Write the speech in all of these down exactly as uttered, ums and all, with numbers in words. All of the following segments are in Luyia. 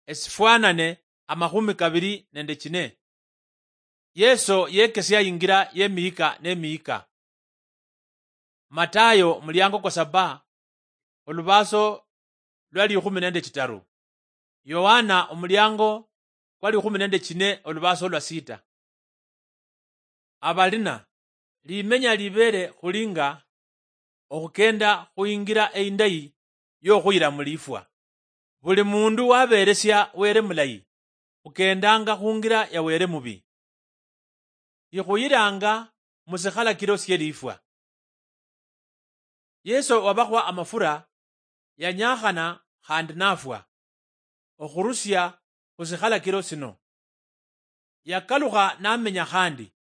esifwanane amakhumi kabili nende chine. Yeso yekesia ingira yemihika nemihika. Matayo muliango kwa saba, olubaso lwa likhumi nende chitaru. Yohana omuliango kwa likhumi nende chine, olubaso lwa sita. Abalina, limenya libele khulinga okhukenda khuingira eindayi yokhuyira mulifwa. Buli mundu waberesia Were mulayi, khukendanga khungira ya Were mubi. Ikhuyiranga musikhalakiro sielifwa. Yeso wabakhwa amafura yanyakhana khandi nafwa, okhurusia khusikhalakiro sino. Yakalukha namenya khandi,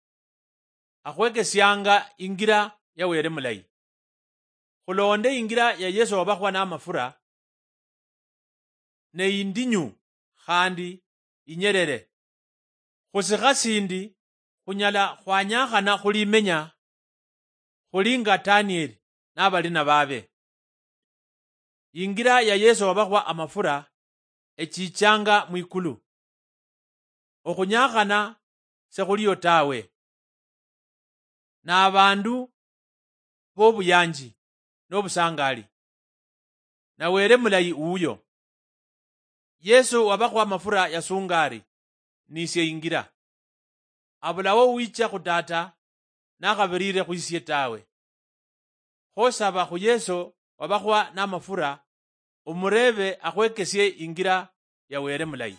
akhwekesianga ingira ya Were mulayi. Khulonde ingira ya Yeso wabakhwa namafura, ne indinyu khandi inyerere. Khusikha sindi khunyala khwanyakhana khulimenya khuli nga Danieli nabalina babe. Ingira ya Yeso wabakhwa amafura echichanga mwikulu. Okhunyakhana sekhuliyo tawe. Nabandu bobuyanji nobusangali. Na Were mulayi uyo. Yeso wabakhwa amafura yasunga ari, "Nisie ingira. Abulawo uwicha khu Tata nakhabirire khwisie tawe." Khosaba khu Yeso wabakhwa namafura, omurebe akhwekesie ingira ya Were mulayi.